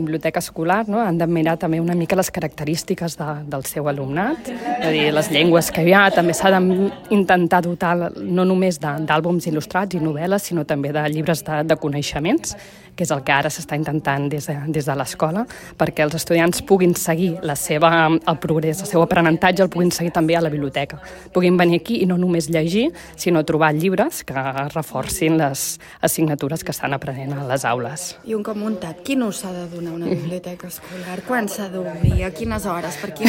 Biblioteca escolar, no? Han de mirar també una mica les característiques del seu alumnat, és a dir, les llengües que hi ha, també s'ha d'intentar dotar no només d'àlbums il·lustrats i novel·les, sinó també de llibres de coneixements, que és el que ara s'està intentant des de l'escola, perquè els estudiants puguin seguir el progrés, el seu aprenentatge, el puguin seguir també a la biblioteca. Puguin venir aquí i no només llegir, sinó trobar llibres que reforcin les assignatures que estan aprenent a les aules. I un cop muntat, quin ús s'ha de donar a una biblioteca escolar? Quan s'ha d'obrir? A quines hores? Per